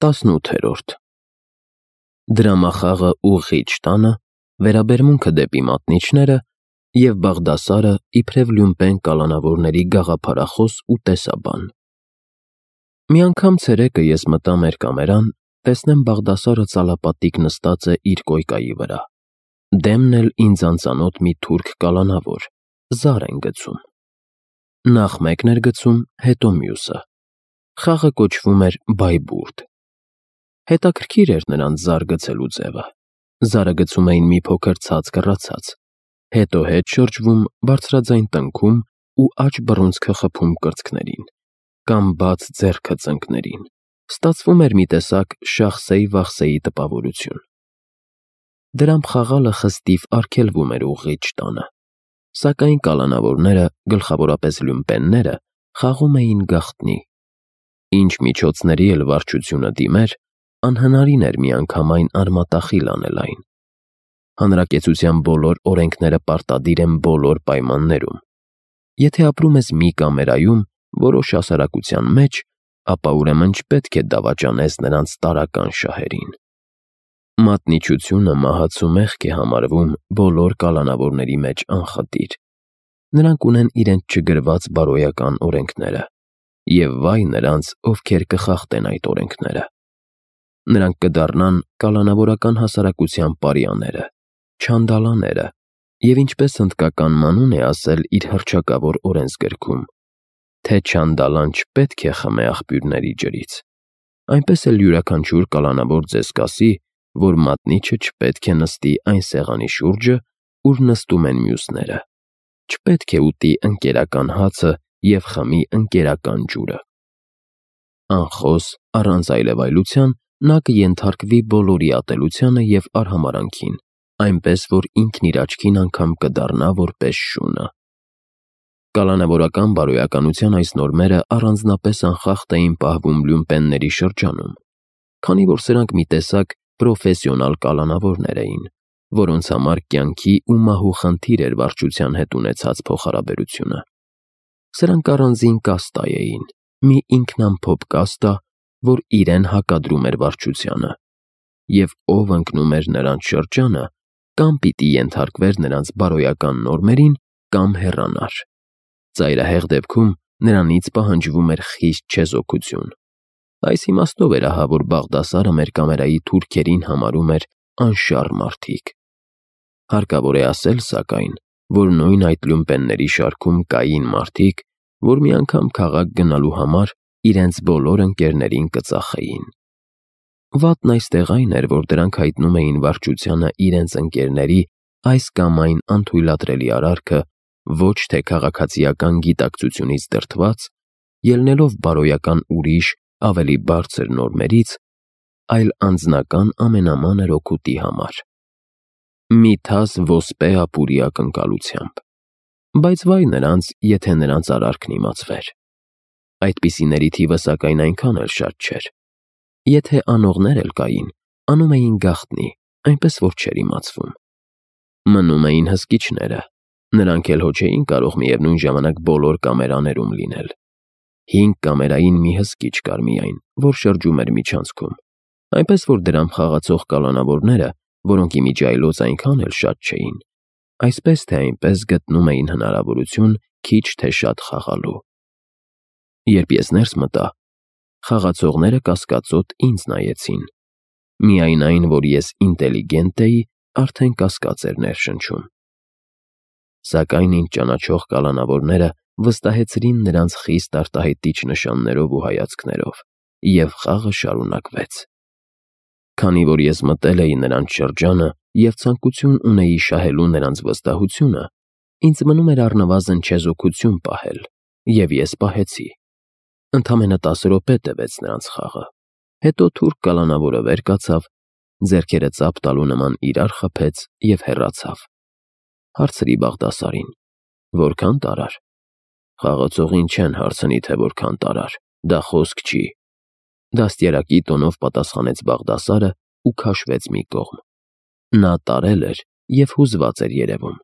18-րդ Դրամախաղը ուղղիչ տանը, վերաբերմունքը դեպի մատնիչները և Բաղդասարը իբրև Լյումպեն կալանավորների գաղափարախոս ու տեսաբան։ Մի անգամ ցերեկը ես մտա մեր կամերան, տեսնեմ Բաղդասարը ծալապատիկ նստած է իր կոյկայի վրա, դեմն էլ ինձ անծանոթ մի թուրք կալանավոր, զար են գցում։ Նախ մեկն էր գցում, հետո մյուսը։ Խաղը կոչվում էր բայբուրդ։ Հետաքրքիր էր նրանց զար գցելու ձևը։ Զարը գցում էին մի փոքր ցած կռացած, հետո հետ շրջվում, բարձրաձայն տնքում ու աջ բռունցքը խփում կրծքներին, կամ բաց ձեռքը ծնկներին։ Ստացվում էր մի տեսակ շախսեյ-վախսեյի տպավորություն։ Դրամ խաղալը խստիվ արգելվում էր ուղղիչ տանը, սակայն կալանավորները, գլխավորապես լյումպենները, խաղում էին գաղտնի։ Ինչ միջոցների էլ վարչությունը դիմեր, անհնարին էր միանգամայն արմատախիլ անել այն։ Հանրակեցության բոլոր օրենքները պարտադիր են բոլոր պայմաններում։ Եթե ապրում ես մի կամերայում, որոշ հասարակության մեջ, ապա ուրեմն չպետք է դավաճանես նրանց տարրական շահերին։ Մատնիչությունը մահացու մեղք է համարվում բոլոր կալանավորների մեջ անխտիր։ Նրանք ունեն իրենց չգրված բարոյական օրենքները, և վայ նրանց, ովքեր կխախտեն այդ օրենքները։ Նրանք կդառնան կալանավորական հասարակության պարիաները, չանդալաները, և ինչպես հնդկական մանուն է ասել իր հռչակավոր օրենսգրքում, թե չանդալան չպետք է խմե աղբյուրների ջրից, այնպես էլ յուրաքանչյուր կալանավոր ձեզ կասի, որ մատնիչը չպետք է նստի այն սեղանի շուրջը, ուր նստում են մյուսները, չպետք է ուտի ընկերական հացը և խմի ընկերական ջուրը։ Անխոս, առանց այլևայլության, նա կենթարկվի բոլորի ատելությանը և արհամարհանքին, այնպես որ ինքն իր աչքին անգամ կդառնա որպես շունը։ Կալանավորական բարոյականության այս նորմերը առանձնապես անխախտ էին պահվում լյումպենների շրջանում, քանի որ սրանք մի տեսակ պրոֆեսիոնալ կալանավորներ էին, որոնց համար կյանքի ու մահու խնդիր էր վարչության հետ ունեցած փոխհարաբերությունը։ Սրանք առանձին կաստա էին, մի ինքնամփոփ կաստա, որ իրեն հակադրում էր վարչությանը, և ով ընկնում էր նրանց շրջանը, կամ պիտի ենթարկվեր նրանց բարոյական նորմերին, կամ հեռանար։ Ծայրահեղ դեպքում նրանից պահանջվում էր խիստ չեզոքություն։ Այս իմաստով էր ահա, որ Բաղդասարը մեր կամերայի թուրքերին համարում էր անշառ մարդիկ։ Հարկավոր է ասել, սակայն, որ նույն այդ լյումպենների շարքում կային մարդիկ, որ մի անգամ քաղաք գնալու համար իրենց բոլոր ընկերներին կծախեին։ Վատն այստեղ այն էր, որ դրանք հայտնում էին վարչությանը իրենց ընկերների այս կամ այն անթույլատրելի արարքը ոչ թե քաղաքացիական գիտակցությունից դրդված, ելնելով բարոյական ուրիշ, ավելի բարձր նորմերից, այլ անձնական ամենամանր օգուտի համար։ Մի թաս ոսպե ապուրի ակնկալությամբ։ Բայց վայ նրանց, եթե նրանց արարքն իմացվեր։ Այդպիսիների թիվը սակայն այնքան էլ շատ չէր։ Եթե անողներ էլ կային, անում էին գաղտնի, այնպես որ չէր իմացվում։ Մնում էին հսկիչները, նրանք էլ հո չէին կարող միևնույն ժամանակ բոլոր կամերաներում լինել։ 5 կամերային մի հսկիչ կար միայն, որ շրջում էր միջանցքում, այնպես որ դրամ խաղացող կալանավորները, որոնք իմիջիայլոց այնքան էլ շատ չէին, այսպես թե այնպես գտնում էին հնարավորություն քիչ թե շատ խաղալու։ Երբ ես ներս մտա, խաղացողները կասկածոտ ինձ նայեցին։ Միայն այն, որ ես ինտելիգենտ էի, արդեն կասկած էր ներշնչում։ Սակայն ինձ ճանաչող կալանավորները վստահեցրին նրանց խիստ արտահայտիչ նշաններով ու հայացքներով, և խաղը շարունակվեց։ Քանի որ ես մտել էի նրանց շրջանը և ցանկություն ունեի շահելու նրանց վստահությունը, ինձ մնում էր առնվազն չեզոքություն պահել, և ես պահեցի։ Ընդամենը 10 րոպե տևեց նրանց խաղը, հետո թուրք կալանավորը վեր կացավ, ձեռքերը ծափ տալու նման իրար խփեց և հեռացավ։ Հարցրի Բաղդասարին. որքան տարար։ Խաղացողին չեն հարցնի, թե որքան տարար, դա խոսք չի։ Դաստիարակի տոնով պատասխանեց Բաղդասարը ու քաշվեց մի կողմ։ Նա տարել էր և հուզված էր երևում։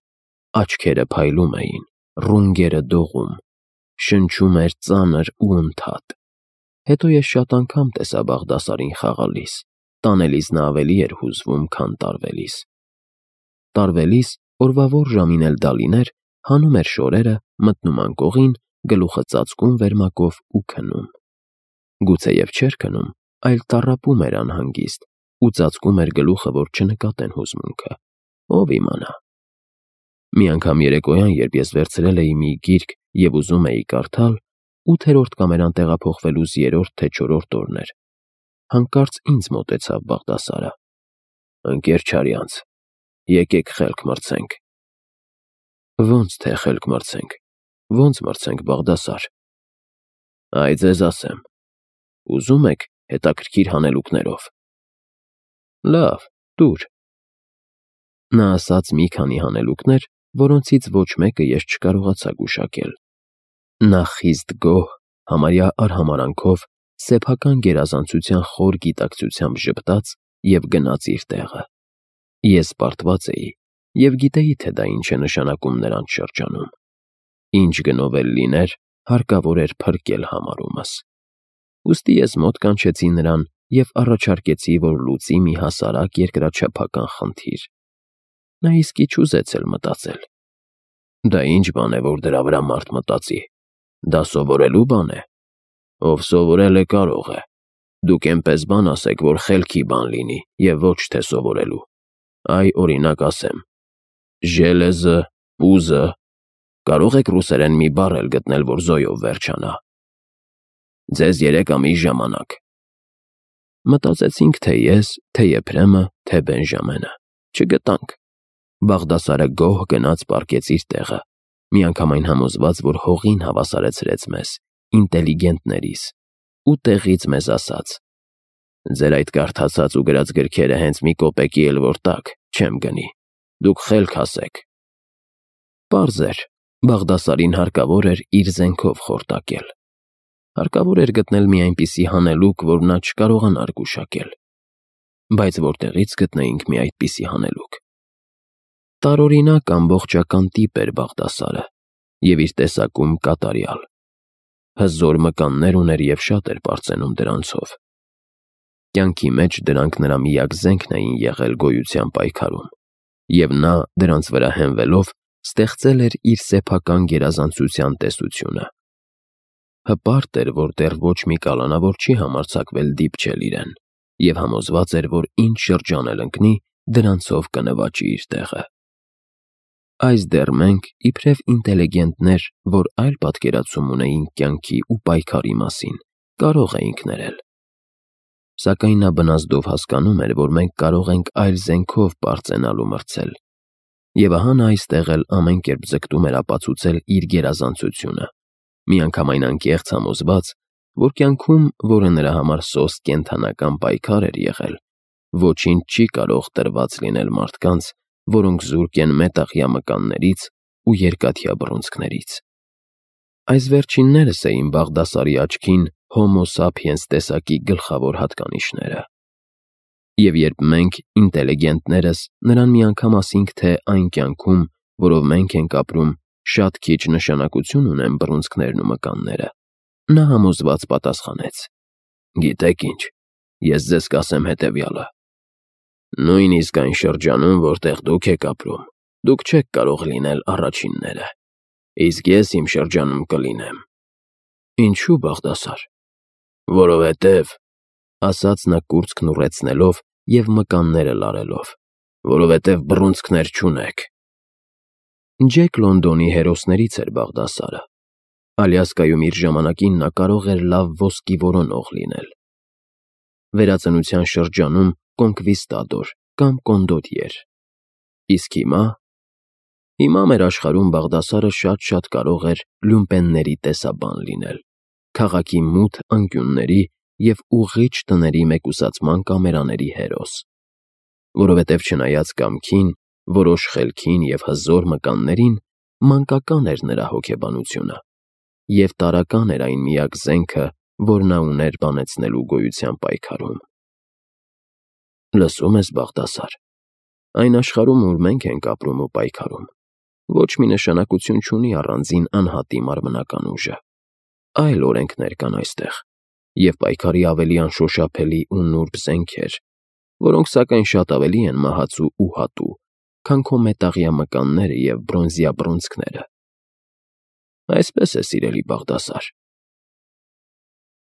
Աչքերը փայլում էին, ռունգերը դողում, շնչում էր ծանր ու ընդհատ։ հետո ես շատ անգամ տեսա Բաղդասարին խաղալիս, տանելիս նա ավելի էր հուզվում, քան տարվելիս։ Տարվելիս, օրվա որ ժամին էլ դա լիներ, հանում էր շորերը, մտնում անկողին, գլուխը ծածկում վերմակով ու քնում։ Գուցեև չէր քնում, այլ տառապում էր անհանգիստ ու ծածկում էր գլուխը, որ չնկատեն հուզմունքը, ով իմանա։ Մի անգամ երեկոյան, երբ ես վերցրել էի մի գիրք և ուզում էի կարդալ, 8-րդ կամերան տեղափոխվելուց 3-րդ թե 4-րդ օրն էր, հանկարծ ինձ մոտեցավ Բաղդասարը. «Ընկեր Չարյանց, եկեք խելք մրցենք»։ Ոնց թե խելք մրցենք, ոնց մրցենք Բաղդասար։ Այ ձեզ ասեմ, ուզում եք հետաքրքիր հանելուկներով։ Լավ, տուր։ Նա ասաց մի քանի հանելուկներ, որոնցից ոչ մեկը ես չկարողացա գուշակել։ Նա խիստ գոհ, համարյա արհամարանքով, սեփական գերազանցության խոր գիտակցությամբ ժպտաց և գնաց իր տեղը։ Ես պարտված էի և գիտեի, թե դա ինչ է նշանակում նրանց շրջանում։ Ինչ գնով էլ լիներ, հարկավոր էր փրկել համարումս։ Ուստի ես մոտ կանչեցի նրան և առաջարկեցի, որ լուծի մի հասարակ երկրաչափական խնդիր։ Նա իսկի չուզեց էլ մտածել։ Դա ինչ բան է, որ դրա վրա մարդ մտածի։ Դա սովորելու բան է։ Ով սովորել է, կարող է։ Դուք էնպես բան ասեք, որ խելքի բան լինի և ոչ թե սովորելու։ Այ, օրինակ ասեմ. ժելեզը, պուզը, կարող եք ռուսերեն մի բառ էլ գտնել, որ զոյով վերջանա։ Ձեզ 3 ամիս ժամանակ։ Մտածեցինք, թե ես, թե Եփրեմը, թե Բենժամենը։ Չգտանք։ Բաղդասարը գոհ գնաց պառկեց իր տեղը, միանգամայն համոզված, որ հողին հավասարեցրեց մեզ, ինտելիգենտներիս, ու տեղից մեզ ասաց. «Ձեր այդ կարդացած ու գրած գրքերը հենց մի կոպեկի էլ որ տաք, չեմ գնի։ Դուք խելք ասեք»։ Պարզ էր, Բաղդասարին հարկավոր էր իր զենքով խորտակել։ Հարկավոր էր գտնել մի այնպիսի հանելուկ, որ նա չկարողանար գուշակել։ Բայց որտեղից գտնեինք մի այդպիսի հանելուկ։ Տարօրինակ ամբողջական տիպ էր Բաղդասարը և իր տեսակում կատարյալ։ Հզոր մկաններ ուներ և շատ էր պարծենում դրանցով։ Կյանքի մեջ դրանք նրա միակ զենքն էին եղել գոյության պայքարում, և նա, դրանց վրա հենվելով, ստեղծել էր իր սեփական գերազանցության տեսությունը։ Հպարտ էր, որ դեռ ոչ մի կալանավոր չի համարձակվել դիպչել իրեն, և համոզված էր, որ ինչ շրջան էլ ընկնի, դրանցով կնվաճի իր տեղը։ Այս դեռ մենք, իբրև ինտելիգենտներ, որ այլ պատկերացում ունեինք կյանքի ու պայքարի մասին, կարող էինք ներել։ Սակայն նա բնազդով հասկանում էր, որ մենք կարող ենք այլ զենքով պարծենալ ու մրցել։ Եվ ահա նա այստեղ էլ ամեն կերպ ձգտում էր ապացուցել իր գերազանցությունը, միանգամայն անկեղծ համոզված, որ կյանքում, որը նրա համար սոսկ կենդանական պայքար էր եղել, ոչինչ չի կարող տրված լինել մարդկանց, որոնք զուրկ են մետաղյա մկաններից ու երկաթյա բռունցքներից։ Այս վերջիններս էին Բաղդասարի աչքին Homo sapiens տեսակի գլխավոր հատկանիշները։ Եվ երբ մենք, ինտելիգենտներս, նրան մի անգամ ասինք, թե այն կյանքում, որով մենք ենք ապրում, շատ քիչ նշանակություն ունեն բռունցքներն ու մկանները, նա համոզված պատասխանեց. «Գիտեք ինչ, ես ձեզ կասեմ հետևյալը. նույնիսկ այն շրջանում, որտեղ դուք եք ապրում, դուք չեք կարող լինել առաջինները, իսկ ես իմ շրջանում կլինեմ»։ Ինչու Բաղդասար։ Որովհետև, ասաց նա կուրծքն ուռեցնելով և մկանները լարելով, որովհետև բռունցքներ չունեք։ Ջեք Լոնդոնի հերոսներից էր Բաղդասարը։ Ալյասկայում իր ժամանակին նա կարող էր լավ ոսկի որոնող լինել։ Վերածնության շրջանում կոնկվիստադոր կամ կոնդոտիեր։ Իսկ հիմա մեր աշխարհում Բաղդասարը շատ կարող էր լյումպենների տեսաբան լինել, քաղաքի մութ անկյունների և ուղղիչ տների մեկուսացման կամերաների հերոս։ Որովհետև չնայած կամքին, որոշ խելքին և հզոր մկաններին, մանկական էր նրա հոգեբանությունը, և տարրական էր այն միակ զենքը, որ նա ուներ բանեցնելու գոյության պայքարում։ Լսում ես, Բաղդասար, այն աշխարհում, ուր մենք ենք ապրում ու պայքարում, ոչ մի նշանակություն չունի առանձին անհատի մարմնական ուժը։ Այլ օրենքներ կան այստեղ, և պայքարի ավելի անշոշափելի ու նուրբ զենքեր, որոնք սակայն շատ ավելի են մահացու ու հատու, քան քո մետաղյա մկանները և բրոնզյա բռունցքները։ Այսպես է, սիրելի Բաղդասար,